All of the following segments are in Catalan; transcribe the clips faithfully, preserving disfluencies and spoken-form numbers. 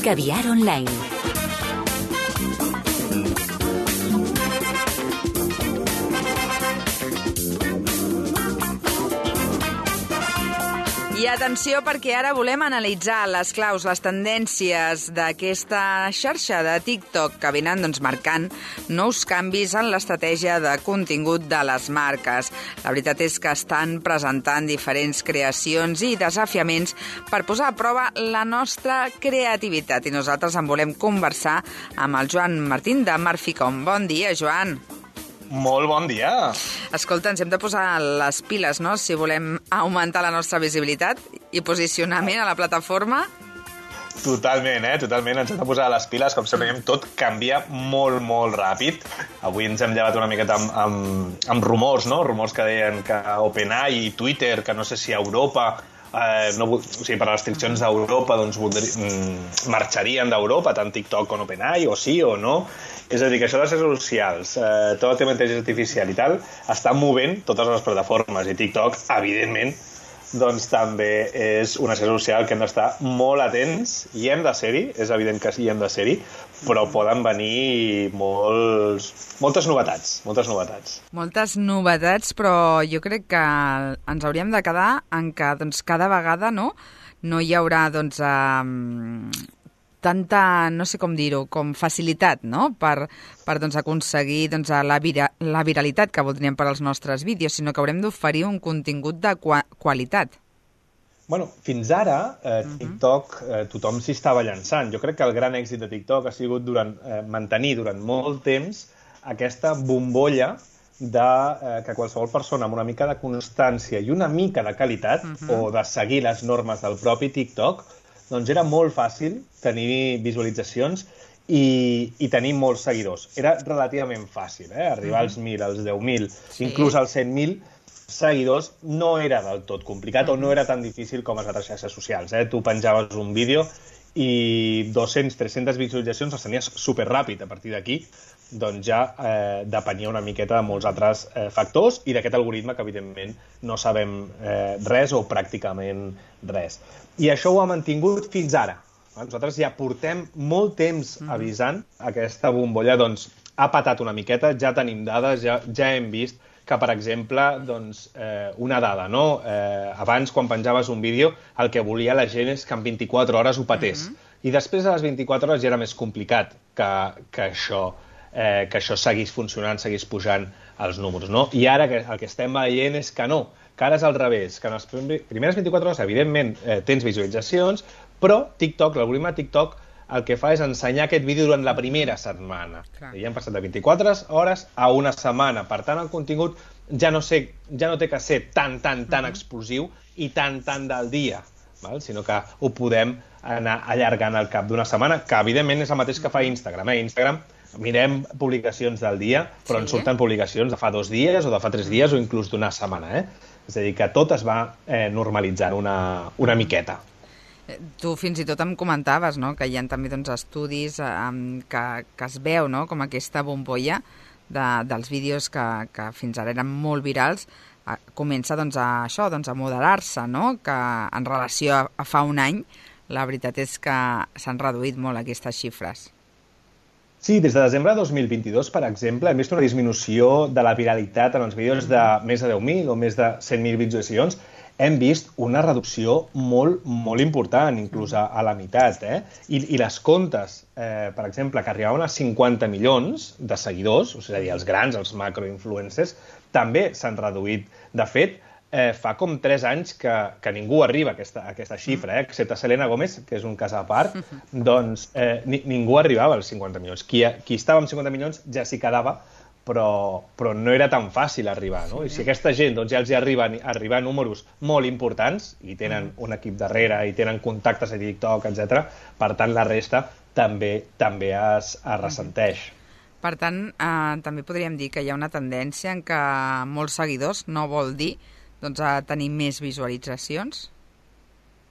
Caviar Online. I atenció, perquè ara volem analitzar les claus, les tendències d'aquesta xarxa de TikTok que venen doncs, marcant nous canvis en l'estratègia de contingut de les marques. La veritat és que estan presentant diferents creacions i desafiaments per posar a prova la nostra creativitat. I nosaltres en volem conversar amb el Joan Martín de Marficom. Bon dia, Joan. Molt bon dia. Escolta, ens hem de posar les piles, no?, si volem augmentar la nostra visibilitat i posicionament a la plataforma. Totalment, eh? Totalment. Ens hem de posar les piles. Com sempre, tot canvia molt, molt ràpid. Avui ens hem llevat una miqueta amb, amb, amb rumors, no? Rumors que deien que OpenAI i Twitter, que no sé si a Europa... Eh, no, o sigui, per a restriccions d'Europa doncs, voldri, mm, marxarien d'Europa, tant TikTok com OpenAI, o sí o no. És a dir, que això de les xarxes socials, eh, tot el tema d'intel·ligència artificial i tal, està movent totes les plataformes, i TikTok, evidentment, doncs també és una xarxa social que hem d'estar molt atents, i hem de ser-hi, és evident que sí, hem de ser-hi, però poden venir molts, moltes novetats, moltes novetats. Moltes novetats, però jo crec que ens hauríem de quedar en que doncs, cada vegada no, no hi haurà doncs, eh, tanta, no sé com dir-ho, com facilitat, no?, per, per doncs, aconseguir doncs, la, vira, la viralitat que voldríem per als nostres vídeos, sinó que haurem d'oferir un contingut de qua qualitat. Bueno, fins ara, eh, TikTok, eh, tothom s'hi estava llançant. Jo crec que el gran èxit de TikTok ha sigut durant, eh, mantenir durant molt temps aquesta bombolla de eh, que qualsevol persona amb una mica de constància i una mica de qualitat, uh-huh. o de seguir les normes del propi TikTok, doncs era molt fàcil tenir visualitzacions i, i tenir molts seguidors. Era relativament fàcil, eh? Arribar als mil, als deu mil, sí. Inclús als cent mil seguidors no era del tot complicat, o no era tan difícil com les altres xarxes socials. Eh? Tu penjaves un vídeo i dos-centes, tres-centes visualitzacions les tenies superràpid. A partir d'aquí doncs ja eh, depenia una miqueta de molts altres eh, factors i d'aquest algoritme que, evidentment, no sabem eh, res o pràcticament res. I això ho ha mantingut fins ara. Nosaltres ja portem molt temps avisant aquesta bombolla, doncs ha patat una miqueta, ja tenim dades, ja, ja hem vist que, per exemple, doncs, eh, una dada, no? Eh, abans, quan penjaves un vídeo, el que volia la gent és que en vint-i-quatre hores ho patés. Uh-huh. I després de les vint-i-quatre hores ja era més complicat que, que, això, eh, que això seguís funcionant, seguís pujant els números, no? I ara que, el que estem veient és que no, que ara és al revés, que en les primeres vint-i-quatre hores, evidentment, eh, tens visualitzacions, però TikTok, l'algoritme de TikTok, el que fa és ensenyar aquest vídeo durant la primera setmana. Clar. I ja han passat de vint-i-quatre hores a una setmana. Per tant, el contingut ja no, sé, ja no té que ser tan, tan, tan uh-huh. explosiu i tan, tan del dia, val? Sinó que ho podem anar allargant al cap d'una setmana, que evidentment és el mateix que fa Instagram. Eh? Instagram, mirem publicacions del dia, però sí. En surten publicacions de fa dos dies o de fa tres dies o inclús d'una setmana. Eh? És a dir, que tot es va eh, normalitzant una, una miqueta. Tu fins i tot em comentaves, no?, que hi ha també doncs, estudis eh, que, que es veu, no?, com aquesta bombolla de, dels vídeos que, que fins ara eren molt virals, eh, comença doncs, a això, doncs, a moderar-se, no?, que en relació a, a fa un any, la veritat és que s'han reduït molt aquestes xifres. Sí, des de desembre de dos mil vint-i-dos, per exemple, hem vist una disminució de la viralitat en els vídeos de més de deu mil o més de cent mil visualitzacions. Hem vist una reducció molt, molt important, inclús a, a la meitat. Eh? I, I les comptes, eh, per exemple, que arribaven a cinquanta milions de seguidors, o sigui, els grans, els macroinfluencers, també s'han reduït. De fet, eh, fa com tres anys que, que ningú arriba a aquesta, a aquesta xifra, eh? Excepte Selena Gomez, que és un cas a part, doncs eh, ni, ningú arribava als cinquanta milions. Qui, qui estava amb cinquanta milions ja s'hi quedava, Però, però no era tan fàcil arribar, no? I si aquesta gent doncs, ja els hi arriben arribar a números molt importants i tenen un equip darrere i tenen contactes a TikTok, etcètera, per tant, la resta també també es, es ressenteix. Per tant, eh, també podríem dir que hi ha una tendència en què molts seguidors no vol dir doncs, a tenir més visualitzacions?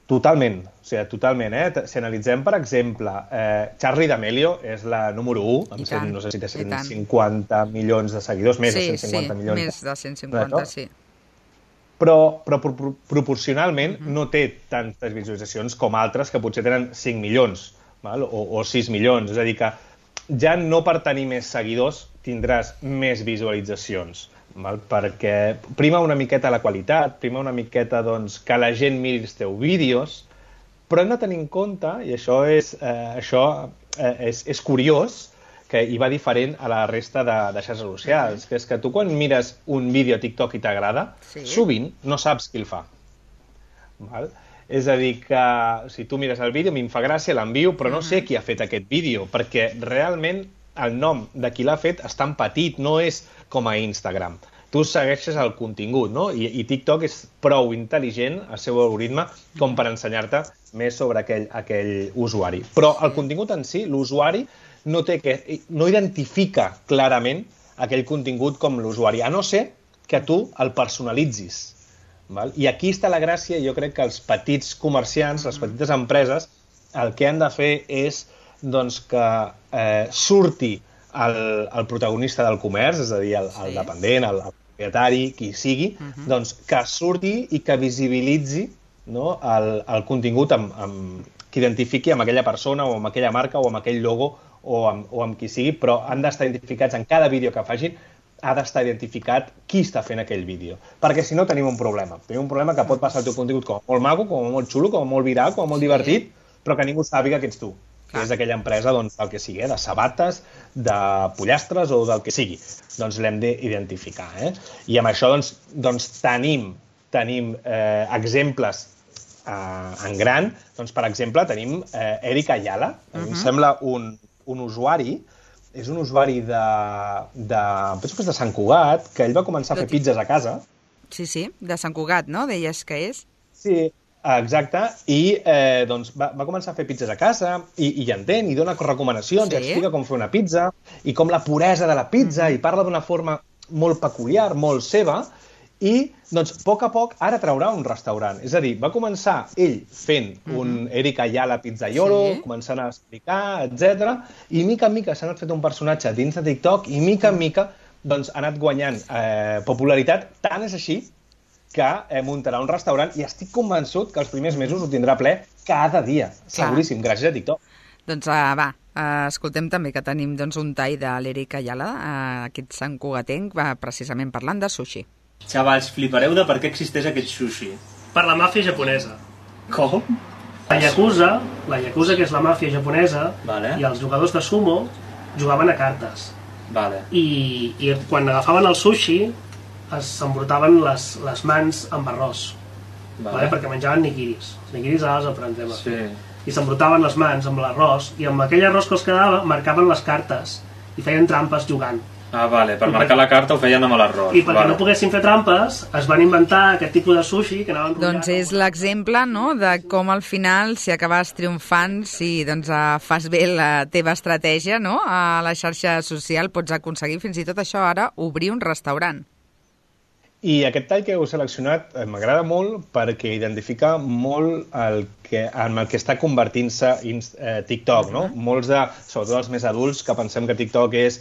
Totalment, o sigui, totalment. Eh? Si analitzem, per exemple, eh, Charli D'Amelio és la número u, amb cent, no sé si té cent cinquanta milions de seguidors, més sí, de cent cinquanta sí, milions. Més de cent cinquanta, sí. Però, però proporcionalment uh-huh. no té tantes visualitzacions com altres que potser tenen cinc milions. val? O, o sis milions. És a dir, que ja no per tenir més seguidors tindràs més visualitzacions, val? Perquè prima una miqueta la qualitat, prima una miqueta doncs, que la gent miri els teus vídeos, però hem de tenir en compte, i això és, eh, això, eh, és, és curiós, que hi va diferent a la resta de, de xarxes socials, que és que tu quan mires un vídeo a TikTok i t'agrada, sí. sovint no saps qui el fa. Val? És a dir, que si tu mires el vídeo, a mi em fa gràcia, l'envio, però no sé qui ha fet aquest vídeo, perquè realment el nom de qui l'ha fet és tan petit, no és com a Instagram. Tu segueixes el contingut, no? I, i TikTok és prou intel·ligent, el seu algoritme, com per ensenyar-te més sobre aquell, aquell usuari. Però el contingut en si, l'usuari, no, té que, no identifica clarament aquell contingut com l'usuari, a no ser que tu el personalitzis. Val? I aquí està la gràcia, jo crec que els petits comerciants, les petites empreses, el que han de fer és doncs, que eh, surti el, el protagonista del comerç, és a dir, el, el dependent, el, el propietari, qui sigui, uh-huh. doncs, que surti i que visibilitzi, no, el, el contingut amb, amb, que identifiqui amb aquella persona o amb aquella marca o amb aquell logo o amb, o amb qui sigui, però han d'estar identificats en cada vídeo que facin, ha d'estar identificat qui està fent aquell vídeo. Perquè si no tenim un problema. Tenim un problema que pot passar el teu contingut com a molt maco, com a molt xulo, com a molt viral, com a molt sí. divertit, però que ningú sàpiga que ets tu. Que és aquella empresa, doncs, del que sigui, eh? De sabates, de pollastres o del que sigui. Doncs l'hem d'identificar. Eh? I amb això doncs, doncs tenim, tenim eh, exemples eh, en gran. Doncs, per exemple, tenim eh, Eric Ayala. Uh -huh. Em sembla un, un usuari, és un usuari de, de, penso que és de Sant Cugat, que ell va començar a fer pizzas a casa. Sí, sí, de Sant Cugat, no? Deies que és? Sí, exacte, i eh, doncs va, va començar a fer pizzas a casa i, i entén, i dona recomanacions, sí. i explica com fer una pizza, i com la puresa de la pizza, mm-hmm. i parla d'una forma molt peculiar, molt seva, i doncs a poc a poc ara traurà un restaurant. És a dir, va començar ell fent mm-hmm. un Eric Ayala pizzaiolo, sí. començant a explicar, etcètera, i mica en mica s'ha anat fet un personatge dins de TikTok, i mica en mica doncs, ha anat guanyant eh, popularitat, tant és així que eh, muntarà un restaurant i estic convençut que els primers mesos ho tindrà ple cada dia, Clar. seguríssim, gràcies a TikTok. Doncs uh, va, uh, escoltem també que tenim doncs, un tall de l'Eric Ayala, uh, aquest Sant Cugatenc, va precisament parlant de sushi. Xavals, flipareu de per què existeix aquest sushi. Per la màfia japonesa. Com? La Yakuza, la Yakuza que és la màfia japonesa, vale. i els jugadors de sumo jugaven a cartes. Vale. I, i quan agafaven el sushi s'embrutaven les, les mans amb arròs, vale. Vale? Perquè menjaven nigiris. Els nigiris ara els aprendrem a fer. Sí. I s'embrutaven les mans amb l'arròs, i amb aquell arròs que els quedava marcaven les cartes i feien trampes jugant. Ah, vale, per I marcar per... la carta ho feien amb l'arròs. I perquè vale. no poguessin fer trampes, es van inventar aquest tipus de sushi que anaven... Doncs és l'exemple, no?, de com al final, si acabes triomfant, si doncs, fas bé la teva estratègia, no?, a la xarxa social, pots aconseguir fins i tot això ara, obrir un restaurant. I aquest tall que heu seleccionat m'agrada molt perquè identifica molt el que, en el que està convertint-se eh, TikTok, no? Uh-huh. Molts de, sobretot els més adults, que pensem que TikTok és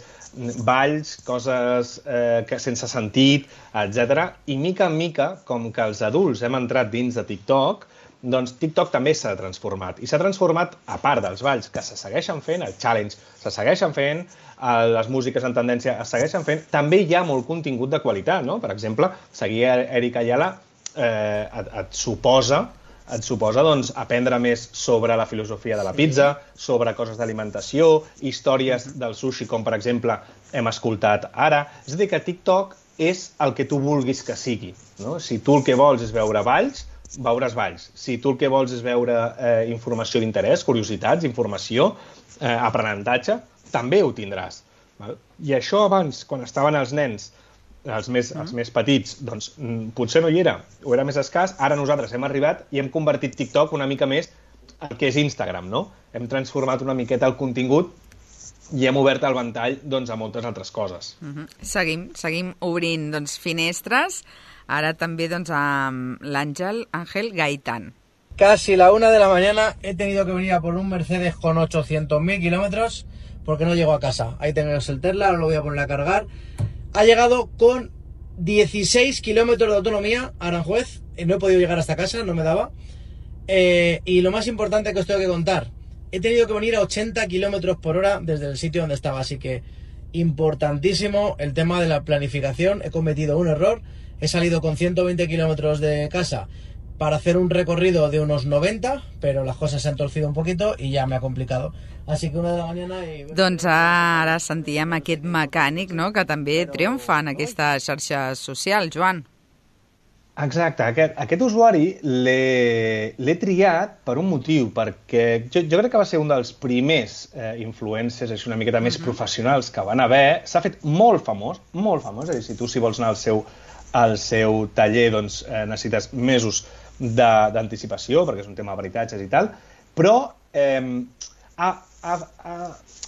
balls, coses eh, que sense sentit, etcètera. I mica en mica, com que els adults hem entrat dins de TikTok, doncs TikTok també s'ha transformat. I s'ha transformat, a part dels balls que se segueixen fent, el challenge se segueixen fent, les músiques en tendència es segueixen fent, també hi ha molt contingut de qualitat, no? Per exemple, seguir Eric Ayala eh, et, et suposa, et suposa doncs, aprendre més sobre la filosofia de la pizza, sobre coses d'alimentació, històries del sushi, com per exemple hem escoltat ara. És a dir, que TikTok és el que tu vulguis que sigui, no? Si tu el que vols és veure balls, veuràs balls. Si tu el que vols és veure eh, informació d'interès, curiositats, informació, eh, aprenentatge, també ho tindràs. Val? I això abans, quan estaven els nens, els més, els més petits, doncs potser no hi era, o era més escàs. Ara nosaltres hem arribat i hem convertit TikTok una mica més el que és Instagram, no? Hem transformat una miqueta el contingut i hem obert el ventall doncs, a moltes altres coses. Uh-huh. Seguim, seguim obrint doncs, finestres. Ara també doncs, amb l'Àngel Ángel Gaitán. Casi la una de la mañana he tenido que venir a por un Mercedes con ochocientos mil kilómetros porque no llego a casa. Ahí tengo el Tesla, ahora lo voy a poner a cargar. Ha llegado con dieciséis kilómetros de autonomía a Aranjuez. No he podido llegar hasta casa, no me daba. Eh, y lo más importante que os tengo que contar he tenido que venir a ochenta kilómetros por hora desde el sitio donde estaba, así que importantísimo el tema de la planificación. He cometido un error, he salido con ciento veinte kilómetros de casa para hacer un recorrido de unos noventa, però les coses s'han torcido un poquito i ja m'ha complicado. Així que una de la mañana... I... Doncs ara sentíem aquest mecànic, no?, que també triomfa en aquesta xarxa social, Joan. Exacte, aquest, aquest usuari l'he triat per un motiu, perquè jo, jo crec que va ser un dels primers eh, influencers així una miqueta més professionals que van haver. S'ha fet molt famós, molt famós, és a dir, si tu si vols anar al seu, al seu taller doncs eh, necessites mesos d'anticipació, perquè és un tema de veritatges i tal, però eh, ha, ha, ha,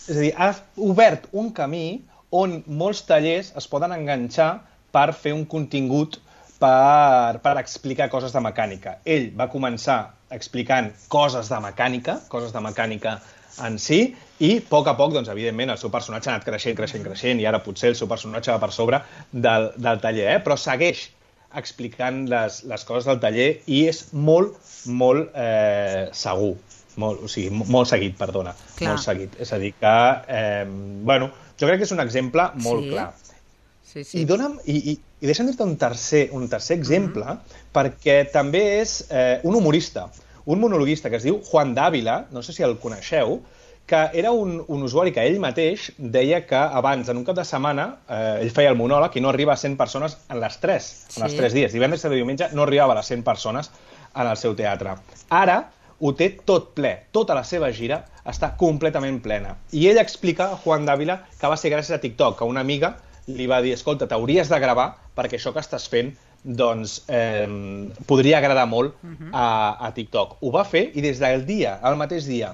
és a dir, ha obert un camí on molts tallers es poden enganxar per fer un contingut per, per explicar coses de mecànica. Ell va començar explicant coses de mecànica, coses de mecànica en si, i a poc a poc, doncs, evidentment, el seu personatge ha anat creixent, creixent, creixent, i ara potser el seu personatge va per sobre del, del taller, eh? Però segueix explicant les, les coses del taller i és molt, molt eh, segur, molt, o sigui, molt seguit, perdona, clar. Molt seguit. És a dir que, eh, bueno, jo crec que és un exemple molt sí. clar. Sí, sí. I, dona'm, i, i, i deixa'm dir-te un tercer, un tercer exemple, mm-hmm. perquè també és eh, un humorista, un monologuista que es diu Juan Dávila, no sé si el coneixeu, que era un, un usuari que ell mateix deia que abans, en un cap de setmana, eh, ell feia el monòleg i no arriba a cent persones en les tres, sí. en els tres dies. Divendres i diumenge no arribava a les cent persones en el seu teatre. Ara ho té tot ple, tota la seva gira està completament plena. I ell explica, Juan Dávila, que va ser gràcies a TikTok, que una amiga li va dir, escolta, t'hauries de gravar perquè això que estàs fent doncs eh, podria agradar molt a, a TikTok. Ho va fer i des del dia, el mateix dia,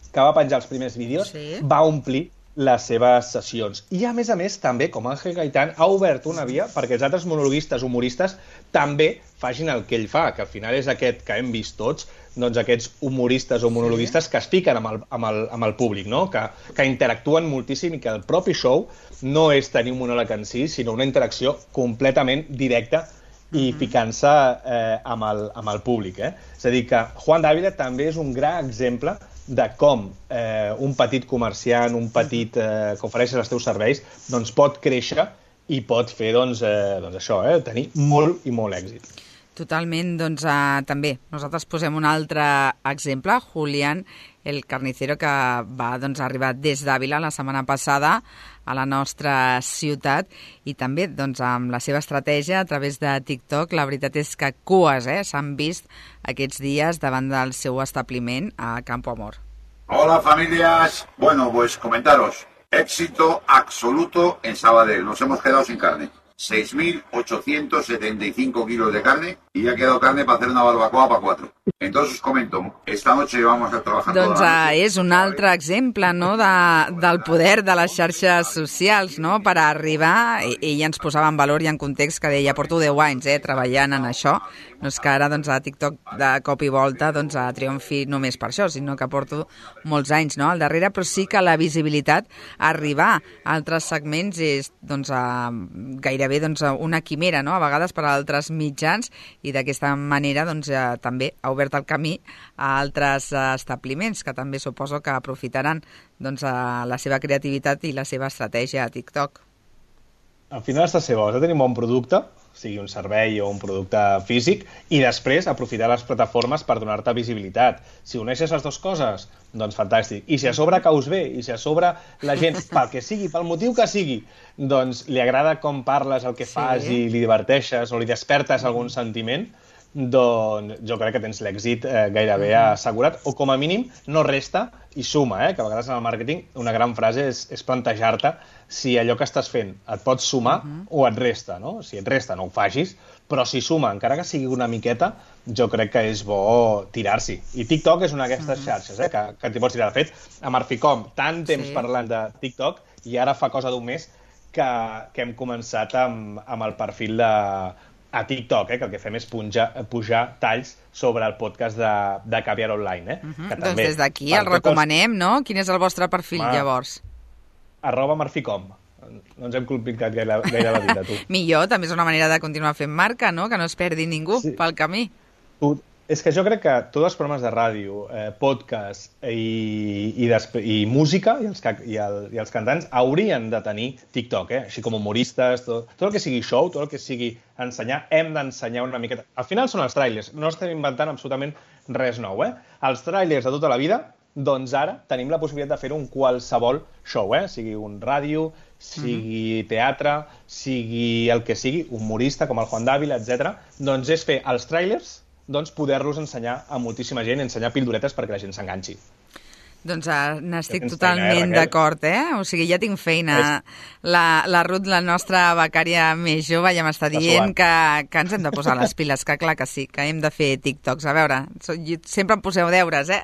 que va penjar els primers vídeos, sí. va omplir les seves sessions. I, a més a més, també, com Ángel Gaitán, ha obert una via perquè els altres monologuistes, humoristes, també facin el que ell fa, que al final és aquest que hem vist tots, doncs aquests humoristes o monologuistes sí. que es fiquen amb el, amb el, amb el públic, no? que, que interactuen moltíssim i que el propi show no és tenir un monòleg en si, sinó una interacció completament directa i mm-hmm. ficant-se eh, amb, el, amb el públic. Eh? És a dir, que Juan Dávila també és un gran exemple de com eh, un petit comerciant, un petit eh, que ofereix els teus serveis, doncs pot créixer i pot fer doncs, eh, doncs això, eh, tenir molt i molt èxit. Totalment, doncs uh, també nosaltres posem un altre exemple, Julián el Carnicero, que va doncs, arribar des d'Àvila la setmana passada a la nostra ciutat i també doncs, amb la seva estratègia a través de TikTok. La veritat és que cues eh, s'han vist aquests dies davant del seu establiment a Campo Amor. Hola familias, bueno pues comentaros, éxito absoluto en Sabadell, nos hemos quedado sin carne. seis mil ochocientos setenta y cinco kilos de carne y ha quedado carne para hacer una barbacoa para cuatro. Entonces os comento, esta noche vamos a trabajar doncs, toda la noche. És un altre exemple no, de, del poder de les xarxes socials no, per arribar. Ella ens posava en valor i en context que deia porto deu anys eh, treballant en això. No és que ara doncs, a TikTok de cop i volta doncs, a triomfi només per això, sinó que porto molts anys no, al darrere, però sí que la visibilitat, arribar a altres segments és doncs, a, gairebé doncs, una quimera, no? A vegades per a altres mitjans, i d'aquesta manera doncs, eh, també ha obert el camí a altres establiments que també suposo que aprofitaran doncs, la seva creativitat i la seva estratègia a TikTok. Al final està seva, has de tenir un bon producte, sigui un servei o un producte físic, i després aprofitar les plataformes per donar-te visibilitat. Si uneixes les dues coses, doncs fantàstic. I si a sobre caus bé, i si a sobre la gent, pel que sigui, pel motiu que sigui, doncs li agrada com parles, el que fas sí. i li diverteixes o li despertes algun sentiment, doncs jo crec que tens l'èxit eh, gairebé assegurat, o com a mínim no resta i suma, eh? Que a vegades en el màrqueting una gran frase és, és plantejar-te si allò que estàs fent et pot sumar uh-huh. o et resta, no? Si et resta no ho facis, però si suma, encara que sigui una miqueta, jo crec que és bo tirar-s'hi. I TikTok és una d'aquestes uh-huh. xarxes eh? que, que t'hi pots tirar. De fet, a Marficom, tant temps sí. parlant de TikTok, i ara fa cosa d'un mes que, que hem començat amb, amb el perfil de a TikTok, eh, que el que fem és pujar, pujar talls sobre el podcast de, de Caviar Online. Eh, uh-huh. que doncs també, des d'aquí el recomanem, els... no? Quin és el vostre perfil, Ma... llavors? Arroba Marficom. No ens hem complicat gaire, gaire la vida, tu. Millor, també és una manera de continuar fent marca, no? Que no es perdi ningú sí. pel camí. Tu, És que jo crec que tots els programes de ràdio, eh, podcast i, i, i música i els, i, el, i els cantants haurien de tenir TikTok, eh? Així com humoristes, tot, tot el que sigui show, tot el que sigui ensenyar, hem d'ensenyar una miqueta. Al final són els trailers, no estem inventant absolutament res nou, eh? Els trailers de tota la vida, doncs ara tenim la possibilitat de fer-ho en qualsevol show, eh? Sigui un ràdio, sigui teatre, sigui el que sigui, humorista com el Juan Dávila, etcètera. Doncs és fer els trailers, doncs poder-los ensenyar a moltíssima gent, ensenyar pildoretes perquè la gent s'enganxi. Doncs uh, n'estic totalment d'acord, eh? O sigui, ja tinc feina. La, la Ruth, la nostra becària més jove, ja m'està dient que, que ens hem de posar les piles, que clar que sí, que hem de fer TikToks. A veure, sempre em poseu deures, eh?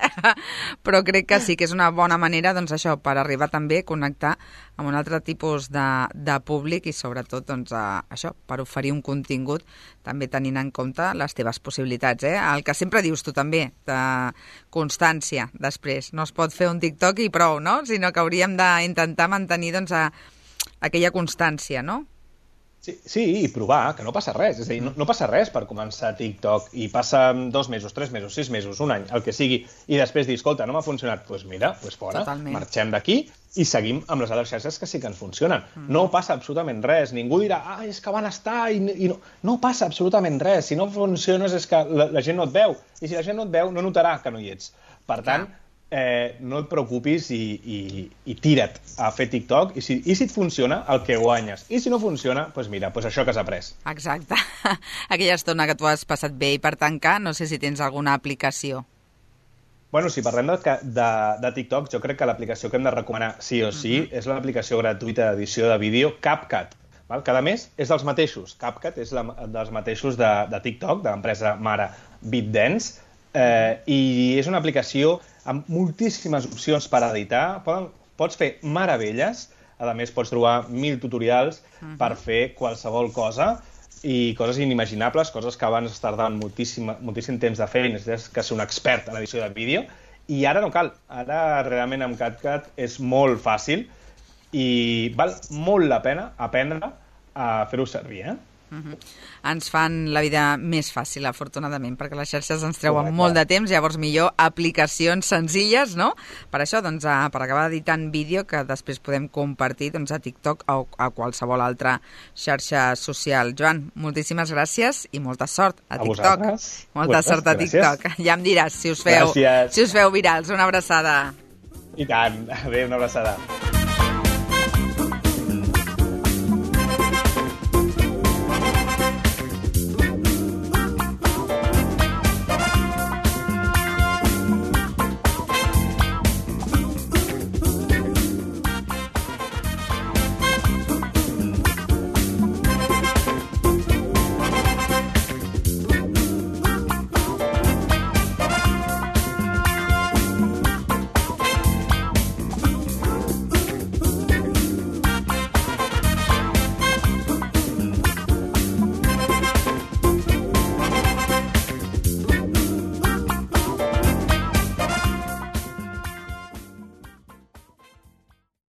Però crec que sí que és una bona manera, doncs això, per arribar també a connectar amb un altre tipus de, de públic i sobretot, doncs, a, això, per oferir un contingut també tenint en compte les teves possibilitats, eh? El que sempre dius tu també, de constància, després. No es pot fer un TikTok i prou, no? Sinó que hauríem d'intentar mantenir, doncs, a, aquella constància, no? Sí, sí, i provar, que no passa res. És a dir, no, no passa res per començar TikTok i passa dos mesos, tres mesos, sis mesos, un any, el que sigui, i després dir, escolta, no m'ha funcionat, doncs pues mira, doncs pues fora, totalment. Marxem d'aquí i seguim amb les altres xarxes que sí que ens funcionen. Mm. No passa absolutament res. Ningú dirà, ah, és que van estar i, i no... No passa absolutament res. Si no funciones és que la, la gent no et veu. I si la gent no et veu, no notarà que no hi ets. Per tant, eh, no et preocupis i, i, i tira't a fer TikTok i si, i si et funciona, el que guanyes. I si no funciona, doncs mira, doncs això que has après. Exacte. Aquella estona que tu has passat bé i per tancar, no sé si tens alguna aplicació. Bueno, si parlem de, de, de TikTok, jo crec que l'aplicació que hem de recomanar sí o sí uh-huh. és l'aplicació gratuïta d'edició de vídeo CapCut. Val? Cada mes és dels mateixos. CapCut és la, dels mateixos de, de TikTok, de l'empresa mare BitDance, eh, i és una aplicació amb moltíssimes opcions per editar. Poden, pots fer meravelles, a més pots trobar mil tutorials uh-huh. per fer qualsevol cosa, i coses inimaginables, coses que abans es tardaven moltíssim, moltíssim temps de fer i necessites que ser un expert en edició de vídeo, i ara no cal. Ara realment amb CapCut és molt fàcil i val molt la pena aprendre a fer-ho servir, eh? Uh-huh. Ens fan la vida més fàcil, afortunadament, perquè les xarxes ens treuen Correcte. Molt de temps, llavors millor aplicacions senzilles, no? Per això, doncs, a, per acabar editant vídeo que després podem compartir, doncs, a TikTok o a qualsevol altra xarxa social. Joan, moltíssimes gràcies i molta sort a, a TikTok. Vosaltres. Molta Vosaltres, sort a TikTok. gràcies. Ja em diràs si us feu, si us feu virals. Una abraçada. I tant. Adéu, una abraçada.